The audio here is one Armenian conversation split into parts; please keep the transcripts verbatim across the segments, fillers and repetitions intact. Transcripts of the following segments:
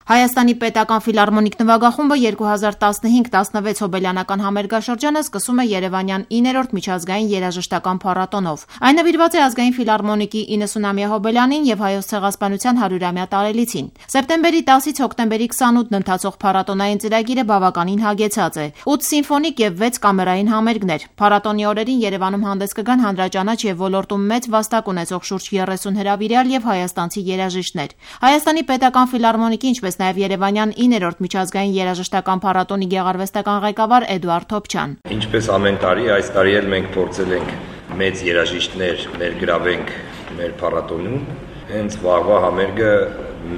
Հայաստանի պետական ֆիլհարմոնիկ նվագախումբը երկու հազար տասնհինգ տասնվեց հոբելյանական համերգաշրջանը սկսում է երևանյան իններորդ միջազգային երաժշտական փառատոնով։ Այն նվիրված է ազգային ֆիլհարմոնիկի իննսունամյա հոբելյանին եւ Հայոց ցեղասպանության հարյուրամյա տարելիցին։ Սեպտեմբերի տասից հոկտեմբերի քսանութն ընթացող փառատոնային ծրագիրը բավականին հագեցած է։ ութ սիմֆոնիկ եւ վեց կամերային համերգներ։ Փառատոնի օրերին Երևանում հանդես կգան հանրաճանաչ եւ ոլորտում մեծ վաստակ ունեցող շուրջ երեսուն հրավիրյալ եւ հայաստանցի երաժիշտներ։ Հայաստանի պետական ֆիլհարմոնիկի, ինչպես նաև Երևանյան իններորդ միջազգային երաժշտական փառատոնի գեղարվեստական ղեկավար Էդուարդ Թոփչյան։ Ինչպես ամեն տարի, այս տարի էլ մենք փորձել ենք մեծ երաժիշտներ ներգրավենք մեր փառատոնում։ Հենց վաղվա համերգը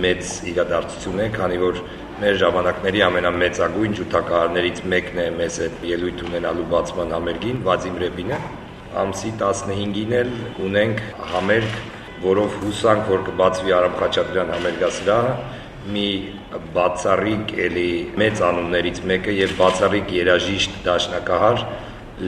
մեծ իրադարձություն է, քանի որ մեր ժամանակների ամենամեծագույն ջութակահարներից մեկն է մեզ հետ ելույթ ունենալու բացման համերգին, Վադիմ Ռեպինը։ Ամսի տասնհինգին էլ ունենք համերգ, որով հուսանք, որ կբացվի Արամ Խաչատրյան համերգասրահը, մի բացառիկ էլի մեծ անուններից մեկը եւ բացառիկ երաժիշտ դաշնակահար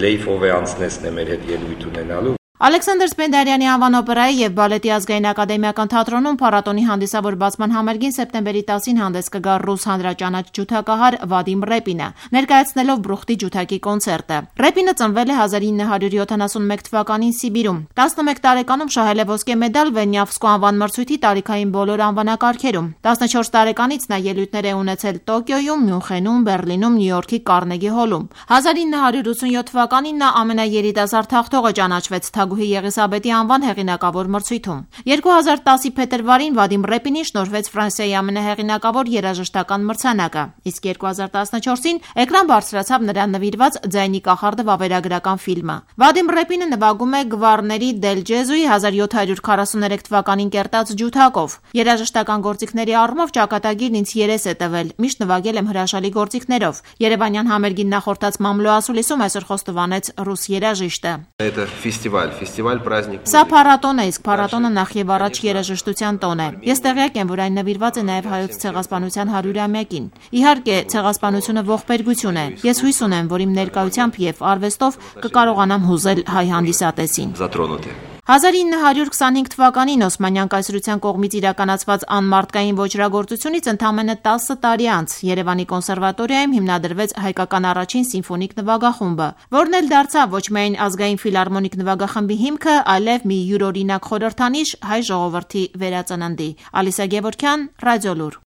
Լեյֆ Օվեանցնեսն է մեր հետ ելույթ ունենալու։ Ալեքսանդր Սպենդիարյանի անվան օպերայի եւ բալետի ազգային ակադեմիական թատրոնում փառատոնի հանդիսավոր բացման համերգին սեպտեմբերի տասին հանդես կգա ռուս հանրաճանաչ ջութակահար Վադիմ Ռեպինը, ներկայացնելով Բրուխտի ջութակի կոնցերտը։ Ռեպինը ծնվել է հազար ինը հարյուր յոթանասունմեկ թվականին Սիբիրում։ տասնմեկ տարեկանում շահել է ոսկե մեդալ Վենյավսկու անվան մրցույթի տարիքային բոլոր անվանակարգերում։ տասնչորս տարեկանից նա ելույթներ է ունեցել Տոկիոյում, Մյունխենում, Բեռլինում, Նյու Յորքի Կարնեգի հոլում։ հազար ինը հարյուր ութսունյոթ թվականին նա ամենաերիտասարդ թախտողը ճանաչվեց Թագուհի Եղիսաբեթի անվան հեղինակավոր մրցույթում։ երկու հազար տասի փետրվարին Վադիմ Ռեպինին շնորհվեց Ֆրանսիայի ամենահեղինակավոր երաժշտական մրցանակը, իսկ երկու հազար տասնչորսին էկրան բարձրացավ նրան նվիրված Ձայնի կախարդը վավերագրական ֆիլմը։ Վադիմ Ռեպինը նվագում է Գվարների Դել Ջեզուի հազար յոթ հարյուր քառասուներեք թվականին կերտած ջութակով։ Երաժշտական գործիքների առումով ճակատագիրն ինձ երես է տվել, միշտ նվագել եմ հրաշալի գործիքներով։ Երևանյան համերգին նախորդած մամլո ասուլիսում այսօր խոստովանեց ռուս երաժիշտը։ Սա փառատոն է, իսկ փառատոնը նախ եւ առաջ երաժշտության տոն է։ Ես տեղյակ եմ, որ այն նվիրված է նաեւ հայոց ցեղասպանության հարյուրամյակին։ Իհարկե, ցեղասպանությունը ողբերգություն է։ Ես հույս ունեմ, որ իմ ներկայությամբ եւ արվեստով կկարողանամ հուզել հայ հանդիսատեսին։ հազար ինը հարյուր քսանհինգ թվականին Օսմանյան կայսրության կողմից իրականացված անմարտկային ոճրագործությունից ընդամենը տասը տարի անց Երևանի կոնսերվատորիայում հիմնադրվեց հայկական առաջին սիմֆոնիկ նվագախումբը, որն էլ դարձավ ոչ միայն ազգային ֆիլհարմոնիկ նվագախմբի հիմքը, այլև մի յուրօրինակ խորհրդանիշ հայ ժողովրդի վերածննդի։ Ալիսա Գևորգյան, Ռադիոլուր։